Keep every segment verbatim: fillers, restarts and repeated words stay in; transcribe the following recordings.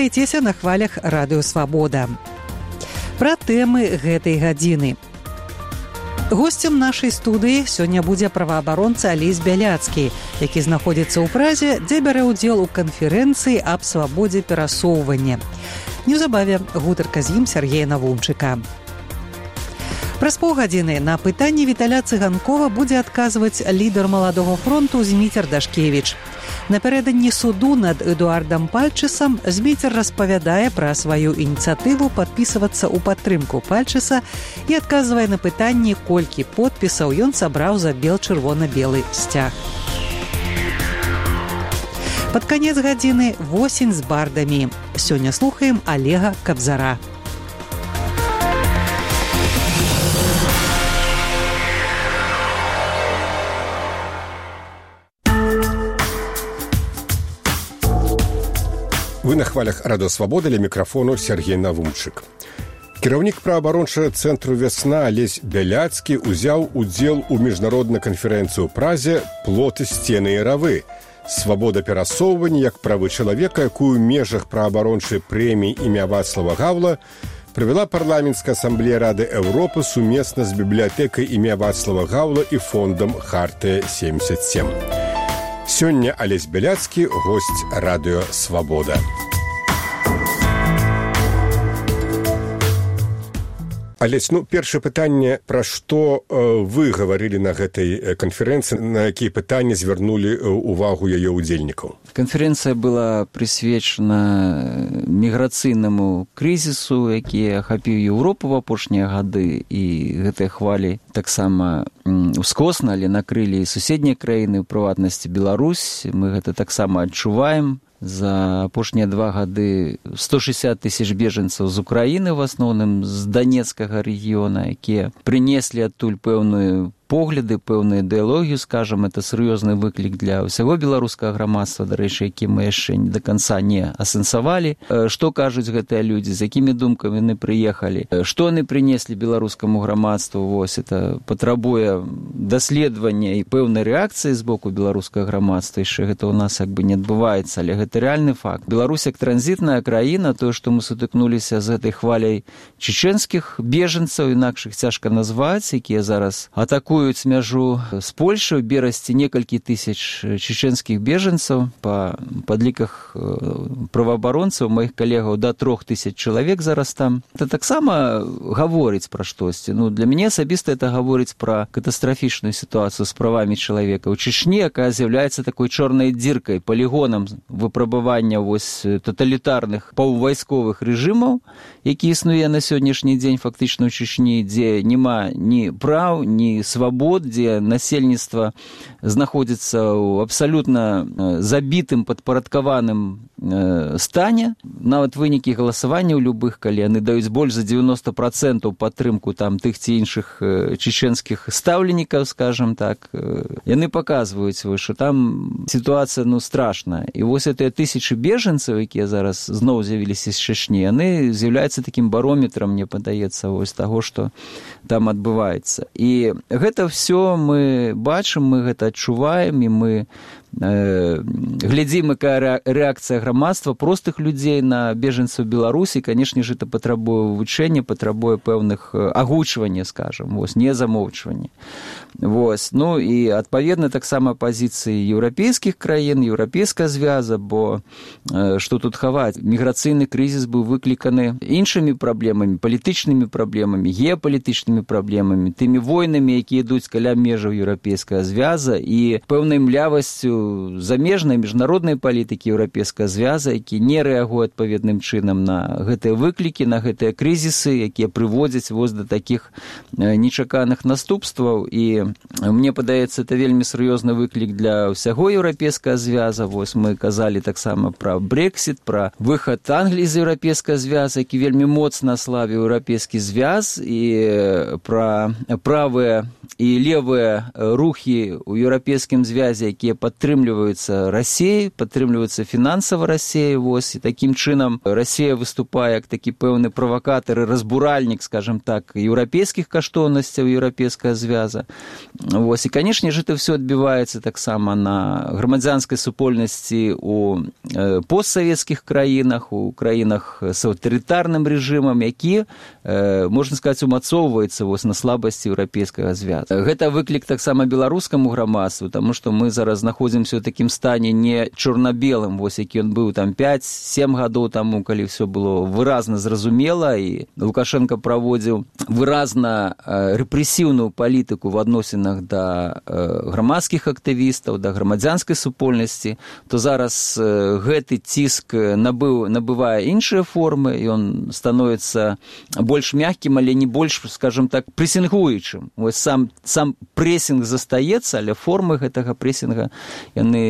Вітайцеся на хвалях Радыё Свабода. Пра тэмы гэтай гадзіны. Госцем нашай студыі сёння будзе праваабаронца Алесь Бяляцкі, які знаходзіцца ў Празе, дзе бярэ ўдзел у канферэнцыі аб свабодзе перасоўвання. Неўзабаве гутарка з ім Сергея Навумчыка. Праз паўгадзіны на пытанні Віталя Цыганкова будзе адказваць лідар Маладога фронту Зміцер Дашкевіч. Напярэдадні суду над Эдуардам Пальчысам Зміцер распавядае пра сваю ініцыятыву падпісвацца ў падтрымку Пальчыса і адказвае на пытанні, колькі подпісаў ён сабраў за бел-чырвона-белы сцяг. Пад канец гадзіны восень з бардамі. Сёння слухаем Олега Кабзара. Вы на хвалях Радыё Свабода, ля мікрафону Сергей Навумчык. Кіраўнік праваабарончага цэнтру «Вясна» Алесь Бяляцкі ўзяў удзел у міжнароднай канферэнцыі ў Празе «Плоты, сцены і равы». Свабода перасоўвання як правы чалавека, якую ў межах праваабарончай прэміі імя Вацлава Гаўла правяла парламенцкая асамблея Рады Еўропы сумесна з бібліятэкай імя Вацлава Гаўла і фондам «Хартыя семьдесят семь». Сёння Алесь Бяляцкі, госць Радыё Свабода. Алесь, ну, першае пытанне, пра што э, вы гаварылі на гэтай канферэнцыі, на якія пытанні звярнулі увагу яе ўдзельнікаў? Канферэнцыя была прысвечана міграцыйнаму крызісу, які ахапіў Еўропу ў апошнія гады, і гэтыя хвалі таксама ускосна, але накрылі і суседнія краіны, у прыватнасці Беларусь. Мы гэта таксама адчуваем. За апошнія два гады сто шэсцьдзесят тысяч бежанцаў з Украіны, в асноўным з Данецкага рэгіёна, якія прынеслі адтуль пэўную погляды, пэўную ідэалогію, скажам, это сур'ёзны выклік для ўсяго беларускага грамадства, дарэчы, які мы яшчэ да канца не асэнсавалі. Што кажуць гэтыя людзі, з якімі думкамі яны прыехалі, што яны прынеслі беларускаму грамадству, вось, это патрабуе даследавання і пэўнай рэакцыі з боку беларускага грамадства, яшчэ гэта ў нас як бы не адбываецца, але гэта рэальны факт. Беларусь як транзітная краіна, тое, што мы сутыкнуліся з гэтай хваляй чеченскіх бежанцаў, інакш іх цяжка назваць, якія зараз атакуюць мяжу з Польшай, у берасці некалькі тысяч чеченскіх бежанцаў, па падліках праваабаронцаў, маіх калегаў, да трох тысяч чалавек зараз там. Это таксама гаворыць пра штосьці. Ну, для мяне асабіста это гаворыць пра катастрафічную сітуацыю з правамі чалавека ў Чечні, якая з'яўляецца такой чорнай дзіркай, палігонам выпрабавання вось таталітарных паўвайсковых рэжымаў, які існуе на сённяшні дзень фактычна ў Чечні, дзе няма ні праў, ні свабод, дзе насельніцтва знаходзіцца ў абсалютна забітым, падпарадкаваным стане. Нават вынікі галасавання ў любых, калі яны даюць больш за дзевяноста працэнтаў падтрымку там тых ці іншых чеченскіх стаўленікаў, скажам так, яны паказваюць, што там сітуацыя, ну, страшная. І вось гэтыя тысячы бежанцаў, якія зараз зноў з'явіліся з Чечні, яны з'яўляюцца такім барометрам, мне падаецца, вось таго, што там адбываецца. І гэта ўсё мы бачым, мы гэта адчуваем, і мы э, глядзім, якая рэакцыя грамадства, простых людзей на бежанцаў Беларусі. Канешне ж, это патрабуе вывучэння, патрабуе пэўных агучвання, скажам, вось, не замоўчвання. Вось. Ну і адпаведна таксама пазіцыі еўрапейскіх краін, еўрапейская звяза, бо э, што тут хаваць? Міграцыйны крызіс быў выкліканы іншымі праблемамі, палітычнымі праблемамі, геапалітычнымі праблемамі, тымі войнамі, якія ідуць каля межаў еўрапейская звяза, і пэўнай млявасцю замежнай міжнароднай палітыкі еўрапейская звяза, які не рэагуе адпаведным чынам на гэтыя выклікі, на гэтыя крызісы, якія прыводзяць вось да такіх нечаканых наступстваў. І мне падаецца, это вельмі сур'ёзны выклік для ўсяго еўрапейскага звяза. Вось мы казалі таксама пра Брексіт, пра выхад Англіі з еўрапейскага звяза, які вельмі моцна аслабіў еўрапейскі звяз, і пра правыя і левыя рухі ў еўрапейскім звязе, якія падтрымліваюць падтрымліваюцца Расіяй, падтрымліваюцца фінансава Расіяй, вось, і такім чынам Расія выступае як такі пэўны правакатар і разбуральнік, скажем так, еўрапейскіх каштоўнасцяў еўрапейская звяза. Вось, і, канешне ж, это все адбіваецца таксама на грамадзянскай супольнасці у э, постсавецкіх краінах, у краінах з аўтарытарным рэжымам, які, э, можна сказаць, умацоўваецца вось на слабасці еўрапейскага звяза. Гэта выклік таксама беларускаму грамадству, таму што мы зараз знаходзімся ў такім стане не чорна-белым, вось які ён быў там пяць-сем гадоў таму, калі все было выразна зразумела, і Лукашенко праводзіў выразна э, рэпрэсіўную палітыку в адносінах да э, грамадскіх актывістаў, да грамадзянскай супольнасці, то зараз э, гэты ціск набыў, набывае іншыя формы, і он становіцца больш мяккім, але не больш, скажем так, прэсінгуючым. Вось сам, сам прэсінг застаецца, але формы гэтага прэсінга яны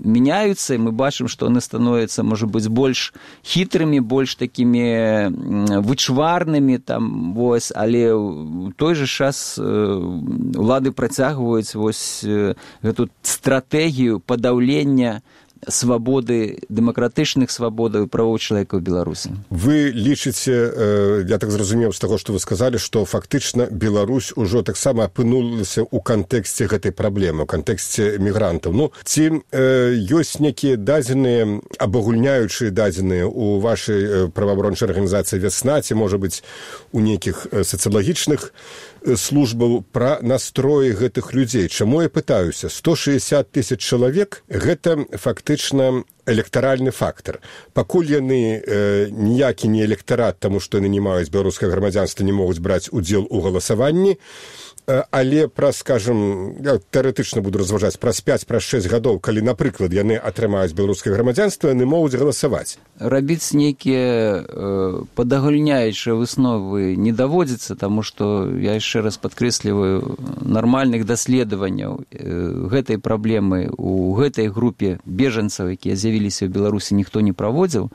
мяняюцца, і мы бачым, што яны становяцца, можа быць, больш хітрымі, больш такімі вычварнымі, там, вось, але ў той жа час улады працягваюць вось гэту стратэгію падаўлення свабоды, дэмакратычных свабодаў і правоў чалавека ў Беларусі. Вы лічыце, я так зразумеў з таго, што вы сказалі, што фактычна Беларусь ужо таксама апынулася ў кантэксце гэтай праблемы, ў кантэксце мігрантаў. Ну, ці э, ёсць нейкія дадзеныя, абагульняючыя дадзеныя ў вашай праваабарончай арганізацыі «Вясна», ці, можа быць, у нейкіх сацыялагічных службаў пра настроі гэтых людзей? Чаму я пытаюся? сто шэсцьдзесят тысяч чалавек – гэта фактычна электаральны фактар. Пакуль яны э, ніякі не электарат, таму што яны не маюць беларускага грамадзянства, не могуць браць удзел у галасаванні, але праз, скажем, я тэарэтычна буду разважаць, праз пяць, праз шэсць гадоў, калі, напрыклад, яны атрымаюць беларускае грамадзянства, яны могуць галасаваць. Рабіць нейкія э, падагульняючыя высновы не даводзіцца, таму што, я яшчэ раз падкрэсліваю, нармальных даследаванняў э, гэтай праблемы у гэтай групе бежанцаў, якія з'явіліся ў Беларусі, ніхто не праводзіў,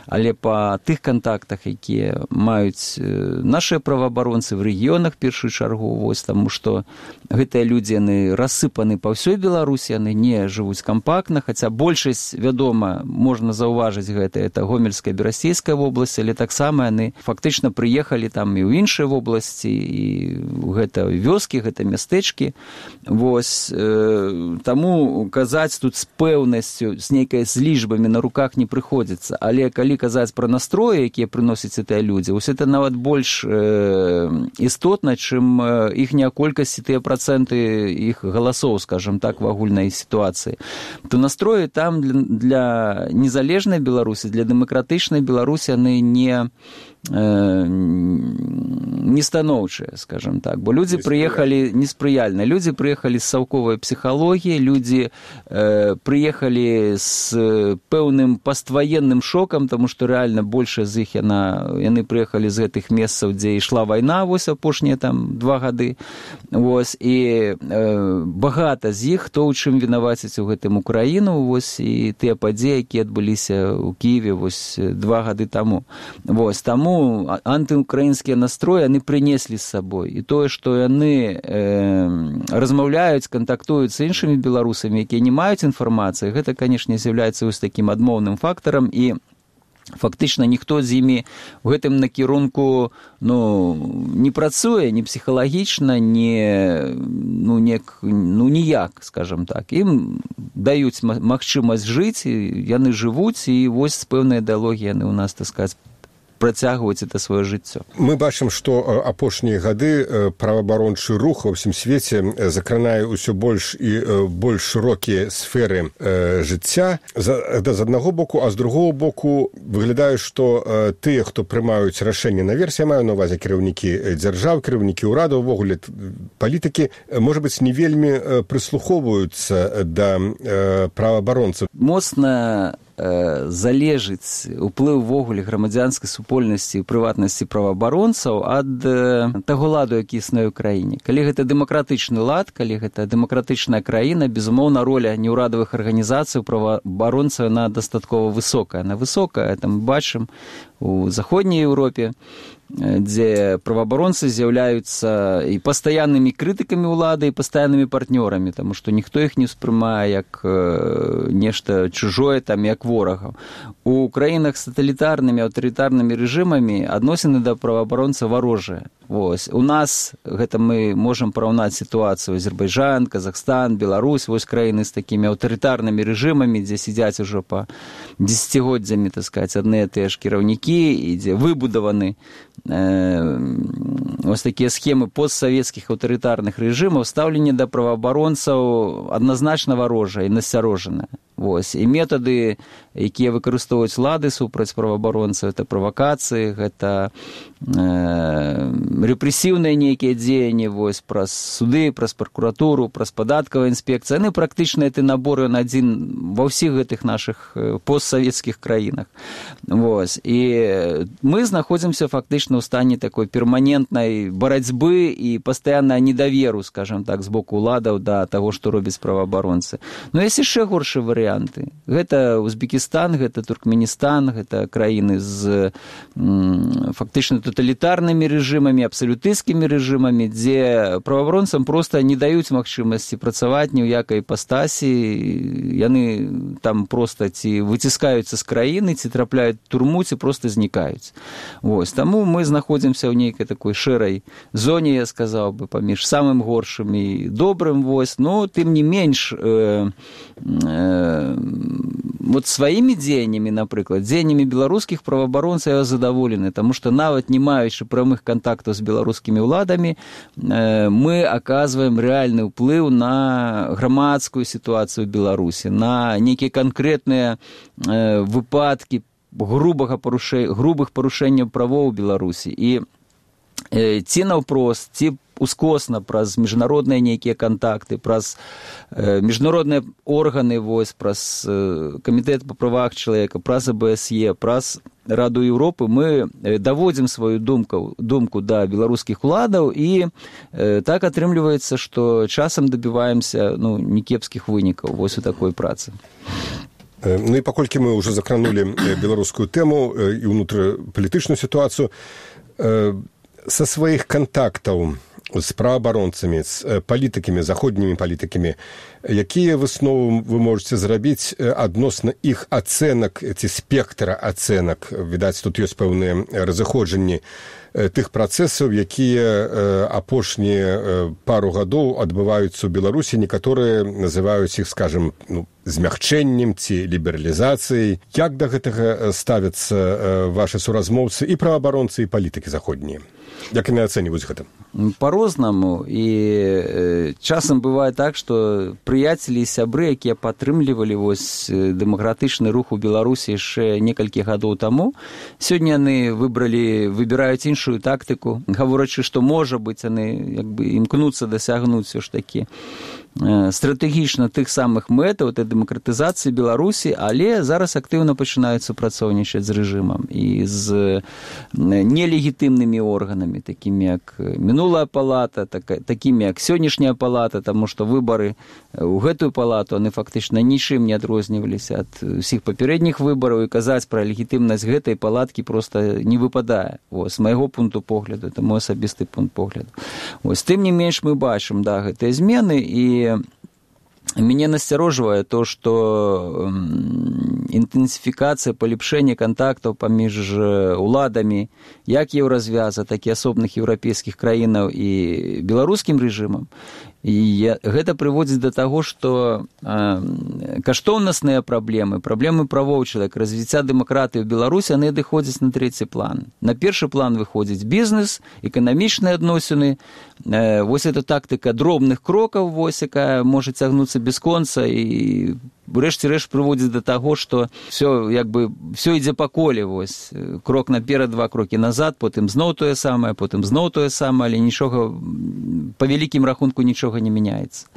але па тых кантактах, якія маюць э, нашыя праваабаронцы в рэгіёнах, першую чаргу, вось там, таму што гэтыя людзі, яны рассыпаны па ўсёй Беларусі, яны не жывуць кампактна, хаця большасць, вядома, можна заўважыць гэта, это Гомельская, Берасцейская вобласць, але таксама яны фактычна прыехалі там і ў іншыя вобласці, і гэта вёскі, гэта мястэчкі. Вось, э, таму казаць тут з пэўнасцю, з нейкай з лічбамі на руках не прыходзіцца, але калі казаць пра настроі, якія прыносяць гэтыя людзі, вось это нават больш э, істотна, чым іхняя колькасць, тыя працэнты іх галасоў, скажем так, в агульнай сітуацыі, то настроі там для, для незалежнай Беларусі, для дэмакратычнай Беларусі яны не не станоўчыя, скажем так, бо людзі прыехалі неспрыяльна, людзі прыехалі з саўковай псіхалогіі, людзі э, прыехалі з пэўным пастваенным шокам, таму што рэальна большая з іх яна, яны прыехалі з гэтых месцаў, дзе ішла вайна, вось апошнія там два гады, вось, і э, багата з іх, хто ў чым вінаваціць у гэтым Украіну, вось, і тыя падзеі, якія адбыліся ў Кіеве, вось, два гады таму. Вось, таму антыукраінскія настроі яны прынеслі з сабой. І тое, што яны э, размаўляюць, кантактуюць з іншымі беларусамі, якія не маюць інфармацыі, гэта, канешне, з'яўляецца вось такім адмоўным фактарам, і фактычна ніхто з імі ў гэтым накірунку ну, не працуе, ні псіхалагічна, ні, ну, не, ну, ніяк, скажем так. Ім даюць магчымасць жыць, яны жывуць, і вось з пэўнай ідэалогіі яны ў нас, так сказаць, працягваць это сваё жыццё. Мы бачым, што апошнія гады праваабарончы рух ва ўсім свеце закранае ўсё больш і больш шырокія сферы жыцця з аднаго боку, а з другого боку выглядае, што тыя, хто прымаюць рашэнні наверсе, маю на увазе кіраўнікі дзяржаў, кіраўнікі ўрадаў, увогуле палітыкі, можа быць, не вельмі прыслухоўваюцца да праваабаронцаў. Моцна залежыць уплыў увогуле грамадзянскай супольнасці і прыватнасці праваабаронцаў ад таго ладу, які існуе ў краіне. Калі гэта дэмакратычны лад, калі гэта дэмакратычная краіна, безумоўна, роля неўрадавых арганізацый праваабаронцаў яна дастаткова высокая. Она высокая, это мы бачым у заходняй Еўропе. дзе праваабаронцы з'яўляюцца і пастаяннымі крытыкамі ўлады, і пастаяннымі партнёрамі, таму што ніхто іх не ўспрымае як нешта чужое, там, як ворагаў. У краінах з таталітарнымі, аўтарытарнымі рэжымамі адносіны да праваабаронца варожыя. Вось. У нас гэта мы можам параўнаць сітуацыю Азербайджан, Казахстан, Беларусь, вось краіны з такімі аўтарытарнымі рэжымамі, дзе сядзяць ужо па дзесяцігоддзямі, так сказаць, адныя тыя ж кіраўнікі, і дзе выбудаваны ось такія схемы постсавецкіх аўтарытарных рэжымаў, стаўленне да праваабаронцаў адназначна варожае і насцярожанае. Вось. І метады, якія выкарыстоўваюць улады супраць праваабаронцаў, гэта правакацыі, гэта э, рэпрэсіўныя нейкія дзеянні, вось, праз суды, праз пракуратуру, праз падаткавую інспекцыю. Яны практычна гэты набор ён адзін ва ўсіх гэтых нашых постсавецкіх краінах. Вось. І мы знаходзімся фактычна ў стане такой перманентнай барацьбы і пастаяннага недаверу, скажам так, з боку ўладаў да таго, што робяць праваабаронцы. Ну, ёсць яшчэ горшы варыянт. Гэта Узбекістан, гэта Туркменістан, гэта краіны з м, фактычна таталітарнымі рэжымамі, абсалютысцкімі рэжымамі, дзе праваабаронцам проста не даюць магчымасці працаваць ні ў якай іпастасі, яны там проста ці выціскаюцца з краіны, ці трапляюць у турму, ці проста знікаюць. Вось. Таму мы знаходзімся ў нейкай такой шэрай зоне, я сказаў бы, паміж самым горшым і добрым, вось, но тым не менш э, э, вот сваімі дзеяннямі, напрыклад, дзеяннямі беларускіх праваабаронцаў я задаволены, таму што нават не маючы прамых кантактаў з беларускімі ўладамі, мы аказваем рэальны ўплыў на грамадскую сітуацыю ў Беларусі, на нейкія канкрэтныя выпадкі грубага парушэння, грубых парушэнняў правоў у Беларусі. І ці наўпрост, ці ускосна праз міжнародныя нейкія кантакты, праз э, міжнародныя органы, вось, праз э, камітэт па правах чалавека, праз а бэ эс е, праз Раду Еўропы мы даводзім сваю думку, думку да беларускіх уладаў, і э, так атрымліваецца, што часам дабіваемся, ну, некепскіх вынікаў вось у такой працы. Ну і паколькі мы ўжо закранулі беларускую тэму і ўнутрапалітычную сітуацыю, са сваіх кантактаў з праваабаронцамі, з палітыкамі, заходнімі палітыкамі, якія высновы вы можаце зрабіць адносна іх ацэнак ці спектра ацэнак? Відаць, тут ёсць пэўныя разыходжанні тых працэсаў, якія апошнія пару гадоў адбываюцца ў Беларусі. Некаторыя называюць іх, скажам, ну, змягчэннем ці лібералізацыяй. Як да гэтага ставяцца вашы суразмоўцы і праваабаронцы, і палітыкі заходнія? Як яны ацэньваюць гэта? По-рознаму. І часам бывае так, што прыяцелі і сябры, якія падтрымлівалі вось дэмакратычны рух у Беларусі яшчэ некалькі гадоў таму, сёння яны выбралі, выбіраюць іншую тактыку, гаворачы, што, можа быць, яны як бы імкнуцца дасягнуць все ж такі стратэгічна тых самых мэтаў, этой дэмакратызацыі Беларусі, але зараз актыўна пачынаюць супрацоўнічаць з рэжымам і з нелегітымнымі органамі, такімі як мінулая палата, так, такімі як сённяшняя палата, таму што выбары ў гэтую палату, яны фактычна нічым не адрозніваліся ад усіх папярэдніх выбараў, і казаць пра легітымнасць гэтай палаткі проста не выпадае. Вось, з майго пункту погляду, это мой асабісты пункт погляду. Вось, тым не менш мы бачым, да, гэтыя змены, і мяне насцярожвае то, што інтэнсіфікацыя, палепшэнне кантактаў паміж уладамі як еўразвяза, так і асобных еўрапейскіх краінаў і беларускім рэжымам. І гэта прыводзіць да таго, што э, каштоўнасныя праблемы, праблемы правоў чалавека, развіцця дэмакратыі ў Беларусі, яны адыходзяць на трэці план. На першы план выходзіць бізнес, эканамічныя адносіны. Э, вось эта тактыка дробных крокаў, вось, якая можа цягнуцца без конца, і рэшце-рэшт прыводзіць да таго, што все, як бы, все ідзе па коле, вось, крок наперад, два крокі назад, потым зноў тое самае, потым зноў тое самае, але нічога, па вялікім рахунку нічога не мяняецца.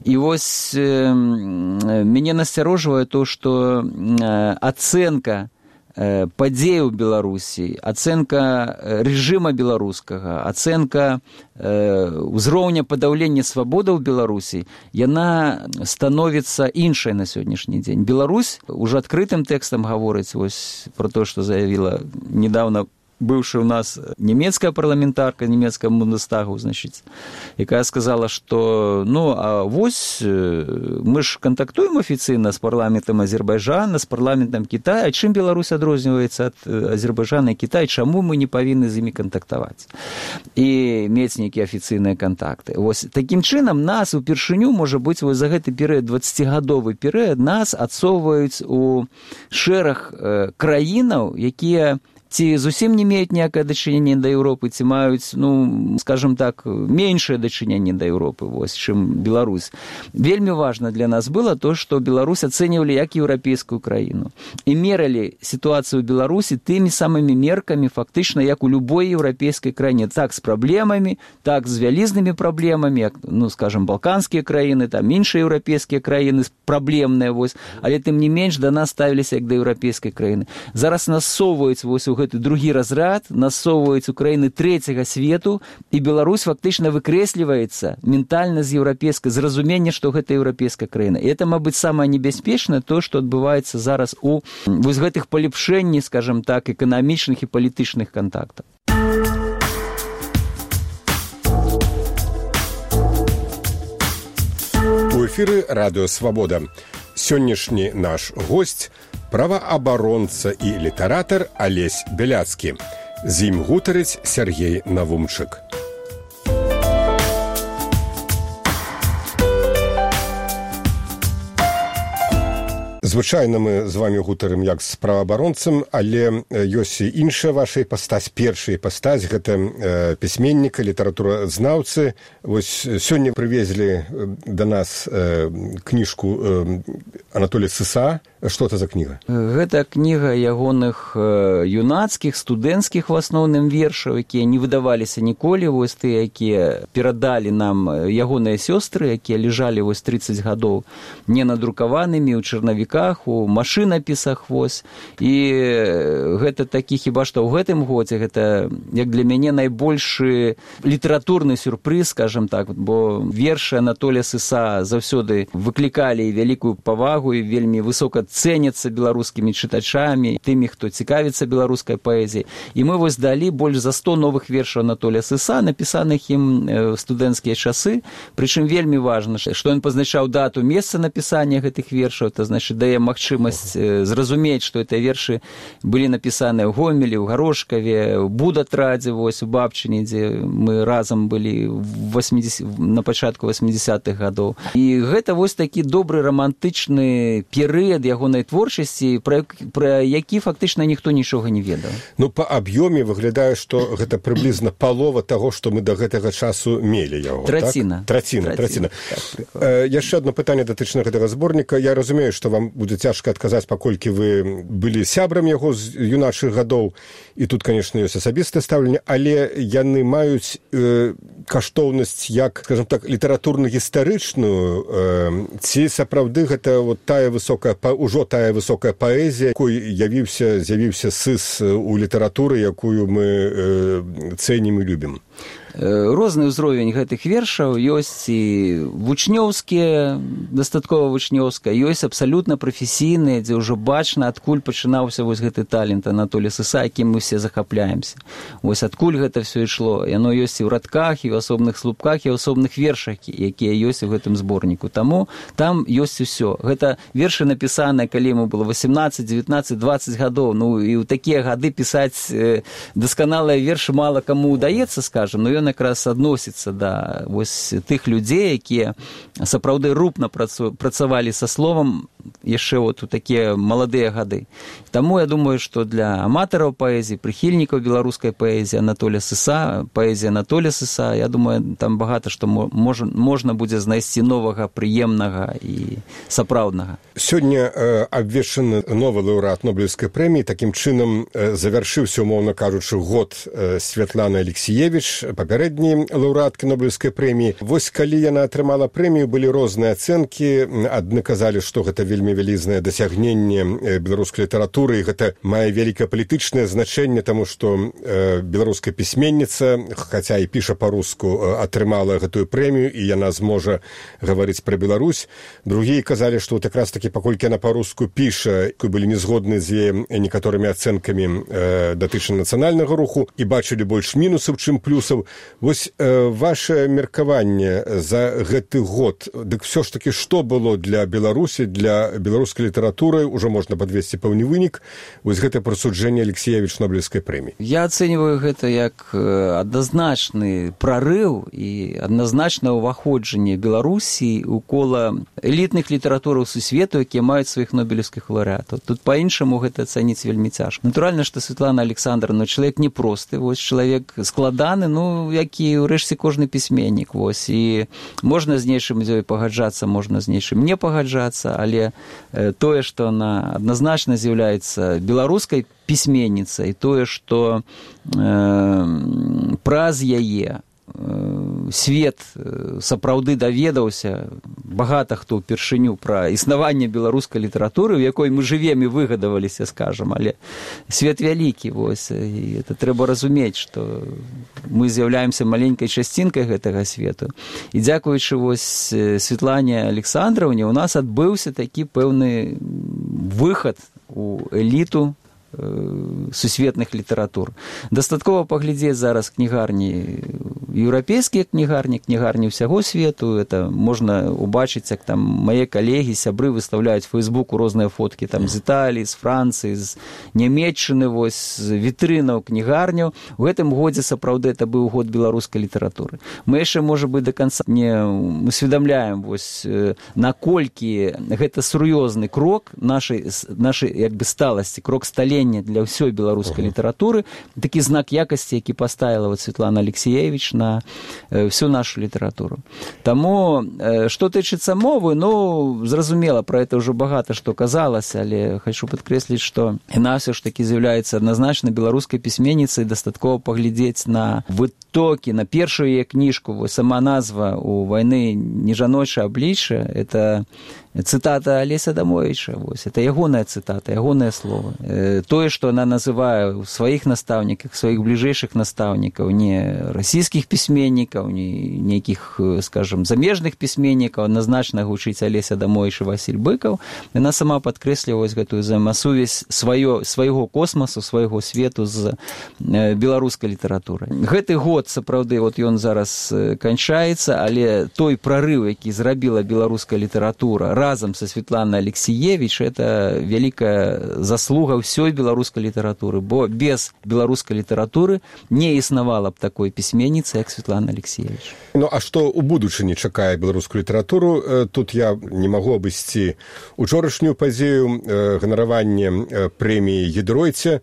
І вось э, мяне насцярожвае то, што э, ацэнка э, падзей у Беларусі, ацэнка рэжыма беларускага, ацэнка э, ўзроўня падаўлення свабодаў Беларусі, яна становіцца іншай на сённяшні дзень. Беларусь ужо адкрытым тэкстам гаворыць вось пра то, што заявіла недавно бывшая у нас немецкая парламентарка немецкого Бундестагу, значит, якая сказала, что, ну, а вось мы ж контактуем официально с парламентом Азербайджана, с парламентом Китая, а чым Беларусь адрозніваецца ад Азербайджана и Китая, чаму мы не павінны з імі кантактаваць і мець нейкія афіцыйныя контакты. Вось таким чынам нас упершыню, можа быць, вось за гэты перыяд, дваццацігадовы перыяд, нас адсоўваюць у шэраг краінаў, якія ці зусім не меюць ніякае дачыненне да Еўропы, ці маюць, ну, скажем так, меншае дачыненне да Еўропы, вось, чым Беларусь. Вельмі важна для нас было то, што Беларусь ацэньвалі як еўрапейскую краіну. І мералі сітуацыю ў Беларусі тымі самымі меркамі, фактычна, як у любой еўрапейскай краіне. Так з праблемамі, так з вялізнымі праблемамі, як, ну, скажем, балканскія краіны, там, іншыя еўрапейскія краіны, праблемныя, вось, але тым не менш да нас ставіліся як да еўрапейскай краіны. Зараз нас соваюць, вось, у гэты другі разрад, насоўваюць у краіны трэцяга свету, і Беларусь фактычна выкрэсліваецца ментальна з еўрапейскай, зразумення, што гэта еўрапейская краіна. І это, мабыць, самае небяспечнае то, што адбываецца зараз у вось гэтых палепшэнні, скажем так, эканамічных і палітычных кантактаў. У эфіры радыё «Свабода». Сённяшні наш госць праваабаронца і літаратар Алесь Бяляцкі. З ім гутарыць Сергей Навумчык. Звычайна мы з вами гутарым як з праваабаронцам, але ёсць і іншая ваша іпастась, першая іпастась, гэта э, пісьменніка, літаратуразнаўцы. Вось сёння прывезлі да нас э, кніжку э, Анатолія Сыса. Што это за кніга? Гэта кніга ягоных э, юнацкіх, студэнцкіх в асноўным вершаў, якія не выдаваліся ніколі, вось тыя, якія перадалі нам ягоныя сёстры, якія ляжалі вось трыццаць гадоў ненадрукаванымі ў чарнавіках, у машынапісах, вось. І гэта такі, хіба што ў гэтым годзе, гэта, як для мяне, найбольшы літаратурны сюрпрыз, скажем так, бо вершы Анатолія Сыса заўсёды выклікалі вялікую павагу і вельмі высока цэняцца беларускімі чытачамі, тымі, хто цікавіцца беларускай паэзіяй. І мы вось далі больш за сто новых вершаў Анатолія Сыса, напісаных ім ў студэнцкія часы. Прычым вельмі важна, што ён пазначаў дату, месца напісання гэтых вершаў, это значыць дае магчымасць зразумець, што гэтыя вершы былі напісаныя ў Гомелі, ў Гарошкаве, ў Будатрадзе, вось у Бабчыне, дзе мы разам былі на пачатку восьмідзесятых гадоў. І гэта вось такі добры рамантычны перыяд ягонай творчасці, пра, пра які фактычна ніхто нічога не ведаў. Ну, па аб'ёме выглядае, што гэта прыблізна палова таго, што мы да гэтага часу мелі яго. Траціна. Так? Траціна, траціна. Так, э, яшчэ адно пытанне датычна гэтага зборніка. Я разумею, што вам будзе цяжка адказаць, паколькі вы былі сябрам яго з юначых гадоў, і тут, конечно, ёсць асабістае стаўленне, але яны маюць э, каштоўнасць як, скажем так, літаратурна-гістарычную, э, ці сапраўды гэта вот тая высокая, ужо тая высокая паэзія, якой явіўся, з'явіўся Сыс у літаратуры, якую мы э, цэнім і любім. Розны ўзровень гэтых вершаў, ёсць і вучнёўскія, дастаткова вучнёўская, ёсць абсалютна прафесійныя, дзе ўжо бачна, адкуль пачынаўся вось гэты талент Анатолія Сыса, якім мы все захапляемся. Вось адкуль гэта все ішло. Яно ёсць і ў радках, і ў асобных слупках, і ў асобных вершах, якія ёсць у гэтым зборніку. Таму там ёсць усё. Гэта вершы напісаныя, калі яму было восемнадцаць, девятнадцать, двадцать гадоў. Ну, і ў такія гады пісаць дасканалыя вершы мала каму удаецца, скажем, но ён якраз адносіцца да вось тых людзей, якія сапраўды рупна працавалі са словам яшчэ вот у такія маладыя гады. Таму я думаю, што для аматараў паэзіі, прыхільнікаў беларускай паэзіі Анатолія Сыса, паэзія Анатолія Сыса, я думаю, там багата што можна, можна будзе знайсці новага, прыемнага і сапраўднага. Сёння э, абвешчаны новы лаўрэат Нобелеўскай прэміі. Такім чынам э, завяршыўся, умоўна кажучы, год э, Святланы Алексіевіч, папярэдні лаўрэаткі Нобелеўскай прэміі. Вось калі яна атрымала прэмію, былі розныя ацэнкі. Адны казалі, што гэта вельмі вялізнае дасягненне беларускай літаратуры, і гэта мае вялікае палітычнае значэнне, таму што беларуская пісьменніца, хаця і піша па-руску, атрымала гэтую прэмію, і яна зможа гаварыць пра Беларусь. Другія казалі, што вот якраз такі, паколькі яна па-руску піша, былі незгодны з яе некаторымі ацэнкамі датычна нацыянальнага руху і бачылі больш мінусаў, чым плюсаў. Вось ваше меркаванне за гэты год, дык все ж таки, што было для Беларусі, для беларускай літаратуры, ужо можна падвесці пэўны вынік, вось гэта прысуджэнне Алексеевич Нобелевскай прэміі. Я ацэньваю гэта як адназначны прарыў і адназначнае ўваходжанне Беларусі ў кола элітных літаратураў сусвету, якія маюць сваіх нобелевскіх лаўрэатаў. Тут па-іншаму гэта ацаніць вельмі цяжка. Натуральна, што Светлана Александровна чалавек непросты, вось чалавек складаны, ну, як і ўрэшце кожны пісьменнік, вось, і можна з нечым з ёй пагаджацца, можна з нечым не пагаджацца, але тое, што она адназначна з'яўляецца беларускай пісьменніцай, тое, што э, праз яе свет сапраўды даведаўся, багата хто ўпершыню пра існаванне беларускай літаратуры, у якой мы жывем і выгадаваліся, скажам, але свет вялікі, вось, і это трэба разумець, што мы з'яўляемся маленькай часцінкай гэтага свету. І дзякуючы вось Светлане Александровне у нас адбыўся такі пэўны выхад у эліту сусветных літаратур. Дастаткова паглядзець зараз кнігарні, еўрапейскія кнігарні, кнігарні ўсяго свету, это можна убачыць, як там мае калегі, сябры выстаўляюць у Фейсбуку розныя фоткі там з Італіі, з Францыі, з Нямецчыны, вось, з вітрынаў кнігарняў. У гэтым годзе сапраўды это быў год беларускай літаратуры. Мы яшчэ, можа быць, да канца не усведамляем, вось, наколькі гэта сур'ёзны крок нашай, нашай як бы сталасці, крок сталення для ўсёй беларускай uh-huh. літаратуры, такі знак якасці, які паставіла вот Светлана Алексеевич на всю нашу літаратуру. Таму, што тычыцца мовы, ну, зразумела, пра гэта ўжо багата што казалася, але хочу падкрэсліць, што яна ўсё ж такі з'яўляецца адназначна беларускай пісьменніцай, дастаткова паглядзець на вытокі, на першую яе кніжку, вось сама назва «У вайны не жаночае аблічча», это цытата Алеся Адамовіча, вось, это ягоная цытата, ягонае слово. Тое, што она называе ў сваіх настаўніках, сваіх бліжэйшых настаўнікаў, не расійскіх пісьменнікаў, не нейкіх, скажам, замежных пісьменнікаў, адназначна гучыць Алеся Адамовіч і Васіль Быкаў, яна сама падкрэслівае гэтую взаемасувязь сваё, свайго космасу, свайго свету з беларускай літаратурай. Гэты год, сапраўды, вот ён зараз канчаецца, але той прарыў, які зрабіла беларуская літаратура разом со Светланой Алексеевич, это вялікая заслуга ўсёй беларускай літаратуры, бо без беларускай літаратуры не існавала б такой пісьменніцы, як Светлана Алексеевич. Ну, а што ў будучыні чакае беларускую літаратуру? Тут я не магу абысці учорашнюю падзею ганаравання прэміі Гідройце.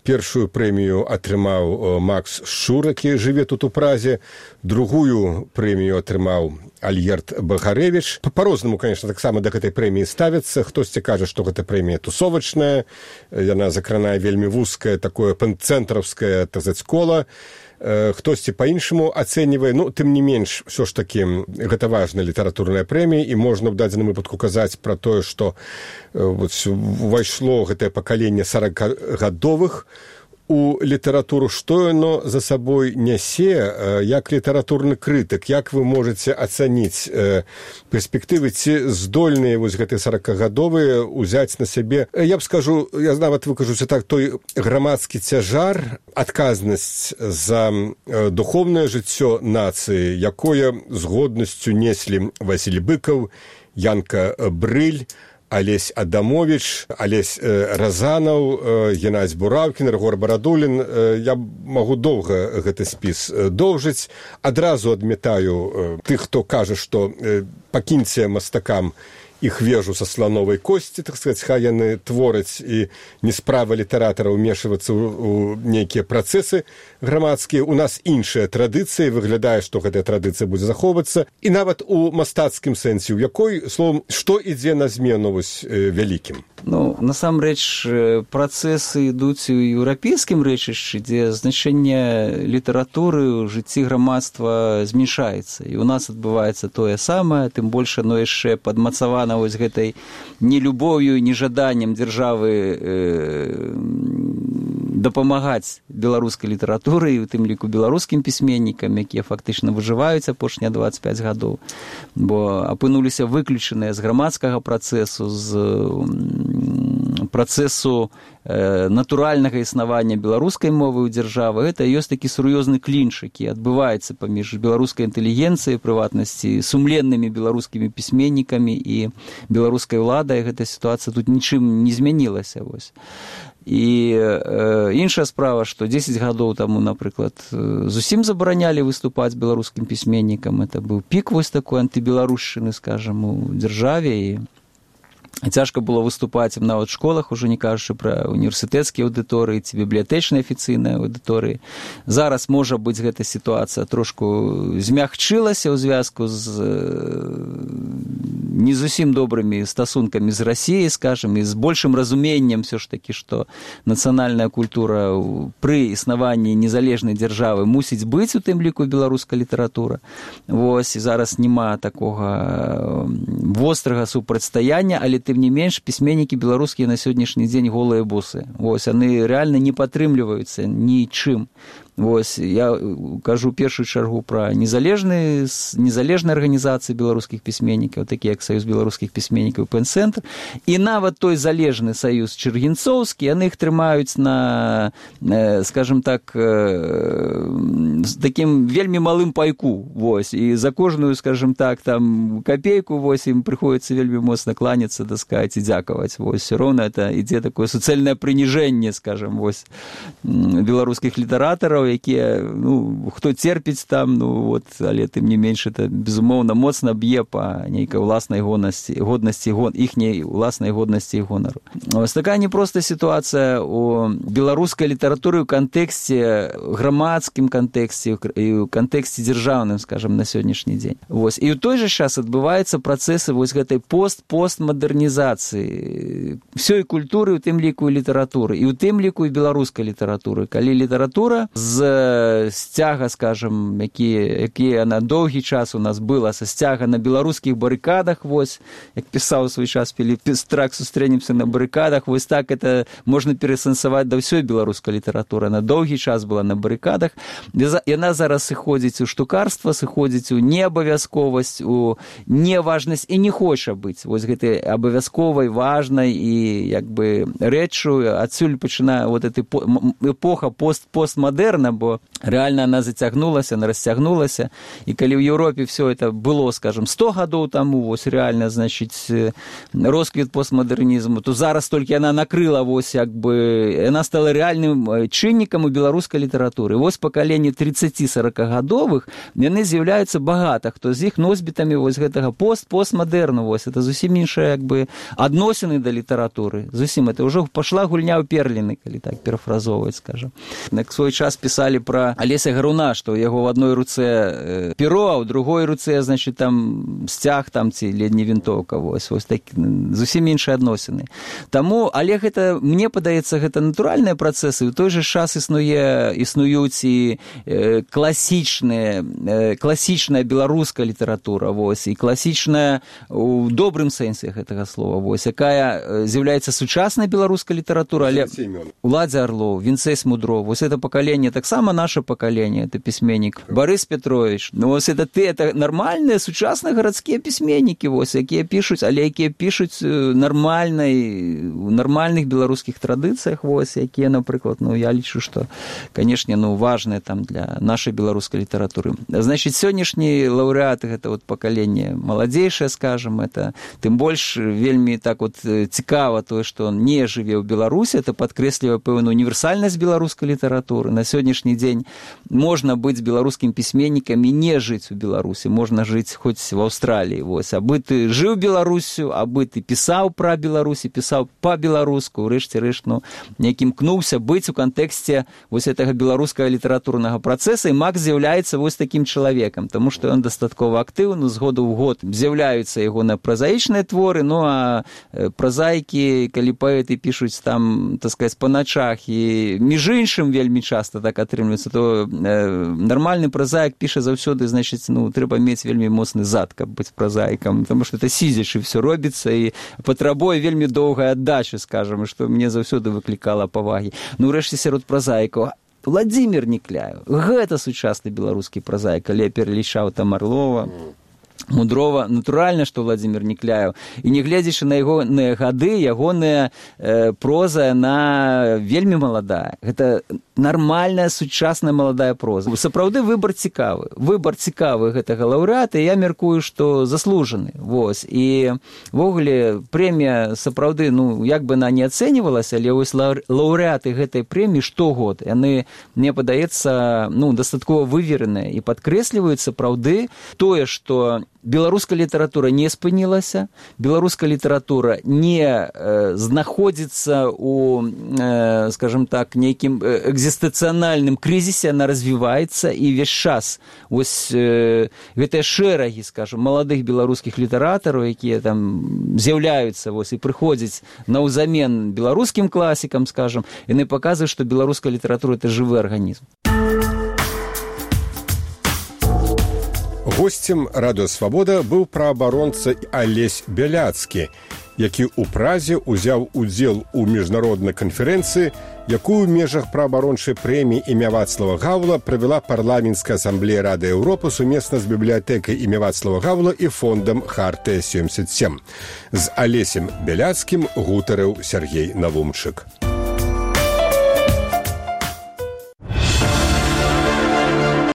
Першую прэмію атрымаў Макс Шчур, які жыве тут у Празе, другую прэмію атрымаў Альгерд Багарэвіч. Па-рознаму, конечно, таксама да гэтай прэміі ставяцца. Хтосьці кажа, што гэта прэмія тусовачная, яна закранае вельмі вузкае, такое панцэнтраўскае, так сказаць, кола. Хтосьці па-іншаму ацэньвае, ну, тым не менш, ўсё ж такі, гэта важная літаратурная прэмія, і можна ў дадзеным выпадку казаць пра тое, што вот, увайшло гэтае пакаленне саракагадовых у літаратуру, што яно за сабой нясе, як літаратурны крытык, як вы можаце ацаніць перспектывы, ці здольныя вось гэтыя саракагадовыя узяць на сябе, я б скажу, я нават выкажуся так, той грамадскі цяжар, адказнасць за духоўнае жыццё нацыі, якое з годнасцю неслі Васіль Быкаў, Янка Брыль, Алесь Адамович, Алесь э, Разанаў, э, Геннадзь Бураўкін, Рыгор Барадулін. Э, я магу доўга гэты спіс э, доўжыць. Адразу адмятаю э, тых, хто кажа, што э, пакіньце мастакам іх вежу са слановай косці, так сказаць, хай яны твораць, і не справа літаратара ўмешвацца ў, у нейкія працэсы грамадскія. У нас іншая традыцыя, выглядае, што гэтая традыцыя будзе захоўвацца. І нават у мастацкім сэнсе, у якой, словам, што ідзе на змену вось, э, вялікім? Ну, насамрэч, працэсы ідуць у еўрапейскім рэчышчы, дзе значэнне літаратуры ў жыцці грамадства змяншаецца. І у нас адбываецца тое самае, тым больш оно яшчэ падмацавана вось гэтай нелюбоўю, нежаданнем дзяржавы э, дапамагаць беларускай літаратуры, і у тым ліку беларускім пісьменнікам, якія фактычна выжываюць апошнія дваццаць пяць гадоў, бо апынуліся выключаныя з грамадскага працэсу, з працэсу э, натуральнага існавання беларускай мовы ў дзяржавы. Гэта ёсць такі сур'ёзны клінч, які адбываецца паміж беларускай інтэлігенцыяй, прыватнасці, сумленнымі беларускімі пісьменнікамі і беларускай уладай. Гэта сітуацыя тут нічым не змянілася. Вось. І э, іншая справа, што дзесяць гадоў таму, напрыклад, зусім забаранялі выступаць беларускім пісьменнікам. Это быў пік вось такой антыбеларушчыны, скажам, у дзяржаве, і цяжка было выступаць ім нават у школах, ужо не кажучы пра універсітэцкія аўдыторыі ці бібліятэчныя афіцыйныя аўдыторыі. Зараз, можа быць, гэта сітуацыя трошку змягчылася ў звязку з не зусім добрымі стасункамі з Расіяй, скажам, і з большым разуменнем все ж такі, што нацыянальная культура пры існаванні незалежнай дзяржавы мусіць быць, у тым ліку беларуская літаратура. Вось, і зараз няма такога вострага супрацьстаяння, але тым не менш, пісьменнікі беларускія на сённяшні дзень голыя босы. Вось, яны рэальна не падтрымліваюцца нічым. Вось, я кажу першую чаргу пра незалежныя незалежныя арганізацыі беларускіх пісьменнікаў, такія як Саюз беларускіх пісьменнікаў, Пэн-цэнтр, і нават той залежны саюз чыргінцоўскі, яны іх трымаюць на, скажем так, з такім вельмі малым пайку. Вось, і за кожную, скажем так, там капейку, вось, ім прыходзіцца вельмі моцна кланяцца, так сказаць, і дзякаваць. Вось, все роўна это ідзе такое суцэльнае прыніжэнне, скажем, вось, беларускіх літаратараў, якія, ну, хто церпіць там, ну, вот, але тым не менш, это, безумоўна, моцна б'е па нейкай уласнай годнасці, годнасці гон, іхняй уласнай годнасці і гонару. Ось такая непростая сітуацыя у беларускай літаратуры ў кантэксце, грамадскім кантэксце і ў кантэксце дзяржаўным, скажам, на сённяшні дзень. Вось. І ў той жа час адбываюцца працэсы вось гэтай пост-постмадэрнізацыі ўсёй культуры, у тым ліку і літаратуры, і ў тым ліку і беларускай літаратуры. Калі літаратура з сцяга, скажем, які, які на доўгі час у нас была, са сцяга на беларускіх барыкадах, вось, як пісаў у свой час Філіп Пестрак, «Сустрэнемся на барыкадах», вось так это можна перасэнсаваць да ўсёй беларускай літаратуры. На доўгі час была на барыкадах. Яна зараз сыходзіць у штукарства, сыходзіць у неабавязковасць, у неважнасць і не хоча быць вось гэтай абавязковай, важнай і як бы рэччу. Адсюль пачынае вот эта эпоха пост постмадэрна, бо рэальна она зацягнулася, она расцягнулася. І калі ў Еўропе все это было, скажем, сто гадоў таму, вось рэальна, значыць, росквіт постмадэрнізму, то зараз толькі яна накрыла, вось, як бы, яна стала рэальным чыннікам у беларускай літаратуры. Вось пакаленне трыццаці-саракагадовых, яны з'яўляюцца багата, хто з іх носьбітамі вось гэтага пост-постмадэрну, вось, это зусім іншая, як бы, адносіны да літаратуры. Зусім, это ўжо пашла гульня ў перліны, калі так перафразоўваць, скажам. Як свой час пісалі пра Алеся Гаруна, што ў яго в адной руцэ перо, а ў другой руцэ, значит, там сцяг там ці ледні вінтоўка, вось, вось так, зусім іншыя адносіны. Таму, але гэта, мне падаецца, гэта натуральныя працэсы, у той жа час існуе, існуюць і э, класічныя, э, класічная беларуская літаратура, вось, і класічная у добрым сэнсе гэтага слова, вось, якая з'яўляецца сучаснай беларускай літаратурай, але Уладзя Арлоў, Вінцэй Смудров, вось это поколение, так само наше поколение, это письменник Борис Петрович. Ну, вот это ты, это нормальные, сучасные городские письменники, вот, якія пишут, але якія пишут нормальной, в нормальных белорусских традициях, вот, якія, например, ну, я лічу, что, конечно, ну, важные там для нашей белорусской литературы. Значит, сегодняшние лауреаты, это вот поколение молодейшее, скажем, это, тем больше, вельми так вот цікаво то, что он не живе в Беларуси, это подкреслівае пэўную універсальнасць беларускай літаратуры. На сённяшні сённяшні дзень можна быць беларускім пісьменнікам і не жыць у Беларусі, можна жыць хоць в Аўстраліі. Вось. Абы ты жыў Беларусю, абы ты пісаў пра Беларусі, пісаў па-беларуску, урэшце рэшт, ну, неяк імкнуўся быць у кантэксце вось гэтага беларускага літаратурнага працэса, і Макс з'яўляецца вось такім чалавекам, таму што ён дастаткова актыўны, з году ў год з'яўляюцца ягоныя празаічныя творы, ну а празаікі, калі паэты пішуць там, так сказаць, па начах, і між іншым вельмі часта так атрымліваецца, то нармальны празаік піша заўсёды, значыць, ну, трэба мець вельмі моцны зад, каб быць празаікам, таму што это сидзячы все робіцца і патрабуе вельмі доўгай аддачы, скажам, што мне заўсёды выклікала павагі. Ну, урэшце, сярод празаікаў Владзімір Нікляеў, гэта сучасны беларускі празаік, калі я пералічаў там Арлова, Мудрова, натуральна, што Владзімір Нікляеў. І не гледзячы на ягоныя гады, ягоная э, проза, яна вельмі маладая. Гэта нармальная, сучасная маладая проза. Сапраўды выбар цікавы. Выбар цікавы гэтага лаўрэата, і я мяркую, што заслужаны. Вось. І ввогуле прэмія сапраўды, ну, як бы она не ацэньвалася, але вось лаўрэаты гэтай прэміі штогод, яны, мне падаецца, ну, дастаткова вывереныя і падкрэсліваюць сапраўды тое, што беларуская літаратура не спынілася, беларуская літаратура не э, знаходзіцца у, э, скажем так, нейкім экзістэнцыянальным крызісе, она развіваецца, і весь час вось э, гэтыя шэрагі, скажем, маладых беларускіх літаратараў, якія там з'яўляюцца вось і прыходзяць наўзамен беларускім класікам, скажем, яны паказваюць, што беларуская літаратура — это жывы арганізм. Госцем радыё «Свабода» быў праабаронца Алесь Бяляцкі, які ў Празе ўзяў удзел у міжнароднай канферэнцыі, якую ў межах праабарончай прэміі імя Вацлава Гаўла правяла парламенцкая асамблея Рады Еўропы сумесна з бібліятэкай імя Вацлава Гаўла і фондам Хартыя семьдесят семь. З Алесем Бяляцкім гутарыў Сергей Навумчык.